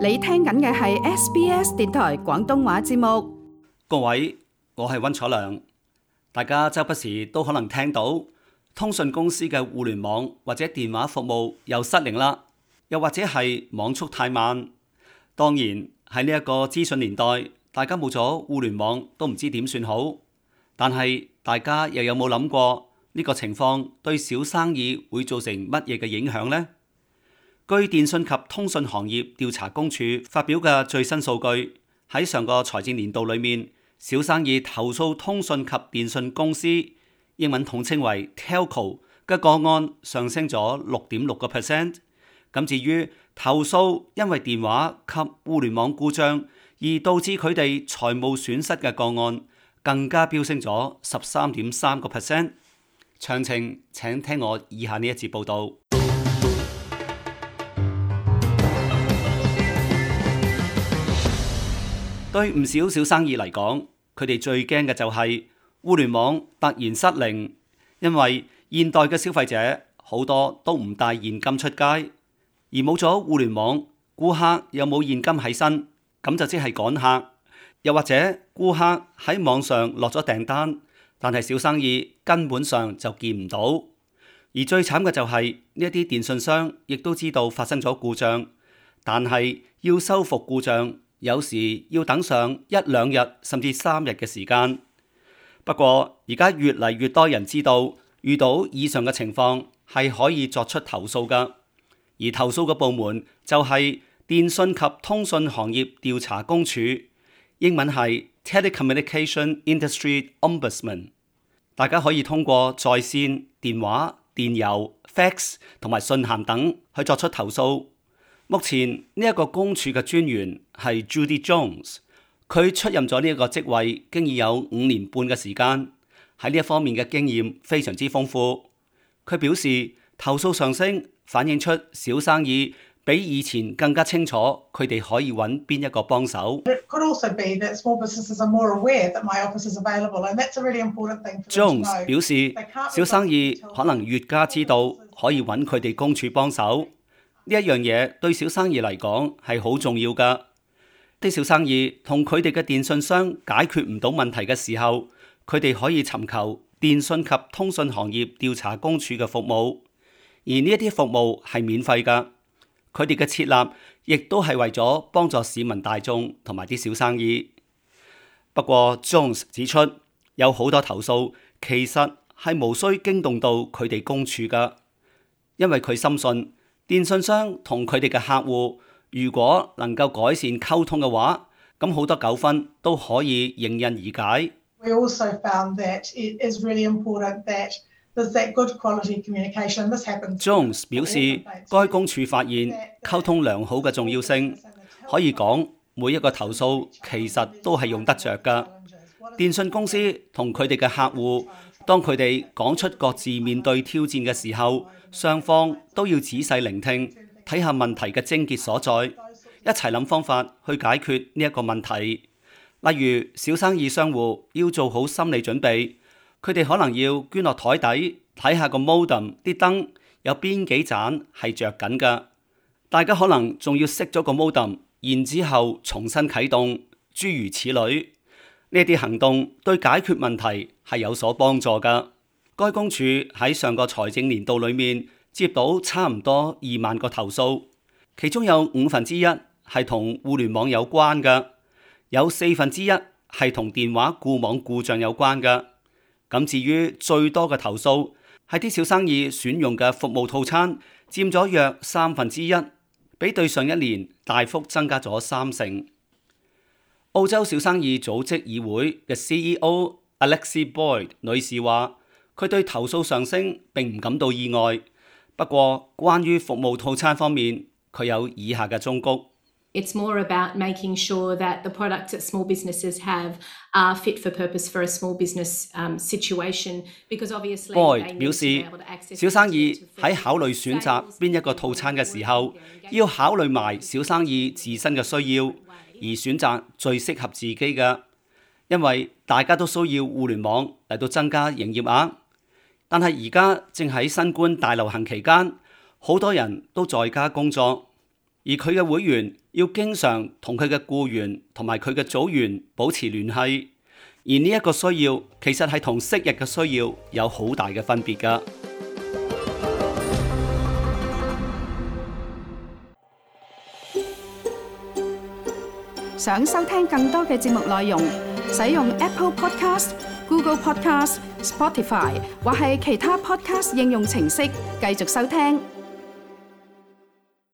你聽緊嘅係 SBS 電台廣東話節目。各位，我係溫楚良。大家周不時都可能聽到通訊公司嘅互聯網或者電話服務又失靈啦，又或者係網速太慢。當然喺呢一個資訊年代，大家冇咗互聯網都唔知點算好。但係大家又有冇諗過呢個情況對小生意會造成乜嘢嘅影響呢？據電訊及通訊行業調查公署發表嘅最新數據，喺上個財政年度裏面，小生意投訴通訊及電訊公司（英文統稱為 Telco） 嘅個案上升咗6.6%。咁至於投訴因為電話及互聯網故障而導致佢哋財務損失嘅個案，更加飆升咗13.3%。詳情請聽我以下呢一節報導。對唔少小生意嚟講，佢哋最驚嘅就係互聯網突然失靈，因為現代嘅消費者好多都唔帶現金出街，而冇咗互聯網，顧客又冇現金喺身，咁就即係趕客，又或者顧客喺網上落咗訂單，但係小生意根本上就見唔到。而最慘嘅就係呢一啲電信商亦都知道發生咗故障，但係要修復故障，有時要等上1-2日甚至3日嘅時間。不過而家越嚟越多人知道，遇到以上嘅情況係可以作出投訴㗎，而投訴嘅部門就係電訊及通訊行業調查公署，英文係 Telecommunication Industry Ombudsman。大家可以通過在線、電話、電郵、fax 同埋信函等去作出投訴。目前呢一個公署嘅專員係 Judy Jones， 佢出任咗呢一個職位經已有5年半嘅時間，喺呢一方面嘅經驗非常之豐富。佢表示投訴上升反映出小生意比以前更加清楚佢哋可以揾邊一個幫手。Jones 表示小生意可能越加知道可以揾佢哋公署幫手。呢一樣嘢對小生意嚟講係好重要㗎。啲小生意同佢哋嘅電信商解決唔到問題嘅時候，佢哋可以尋求電訊及通訊行業調查公署嘅服務，而呢一啲服務係免費㗎。佢哋嘅設立亦都係為咗幫助市民大眾同埋啲小生意。不過 Jones 指出，有好多投訴其實係無需驚動到佢哋公署㗎，因為佢深信電信商同佢哋嘅客戶如果能夠改善溝通嘅話，咁好多糾紛都可以迎刃而解。Jones 表示，該公署發現溝通良好嘅重要性，可以講每一個投訴其實都係用得着㗎。電信公司同佢哋嘅客戶，當佢哋講出各自面對挑戰嘅時候，雙方都要仔細聆聽，睇下問題嘅症結所在，一齊諗方法去解決呢一個問題。例如小生意商戶要做好心理準備，佢哋可能要捐落台底睇下個 modem 啲燈有邊幾盞係着緊㗎，大家可能仲要熄咗個 modem， 然之後重新啟動，諸如此類。呢啲行動對解決問題係有所幫助㗎。該公署喺上個財政年度裏面接到差唔多2萬個投訴，其中有1/5係同互聯網有關嘅，有1/4係同電話固網故障有關嘅。咁至於最多嘅投訴係啲小生意選用嘅服務套餐，佔咗約1/3，比對上一年大幅增加咗30%。澳洲小生意組織議會嘅 CEO Alexi Boyd 女士話，佢對投訴上升並唔感到意外，不過關於服務套餐方面，佢有以下嘅忠告。It's more about making sure that the products that small businesses have are fit for purpose for a small business situation, because obviously Boyd 表示，小生意喺考慮選擇邊一個套餐嘅時候，要考慮埋小生意自身嘅需要，而選擇最適合自己嘅，因為大家都需要互聯網嚟到增加營業額。但係而家正喺新冠大流行期間，好多人都在家工作，而佢嘅會員要經常同佢嘅僱員同埋佢嘅組員保持聯繫，而呢一個需要其實係同昔日嘅需要有好大嘅分別㗎。想收聽更多嘅節目內容，使用 Apple Podcast、Google Podcast、Spotify 或係其他 Podcast 應用程式繼續收聽。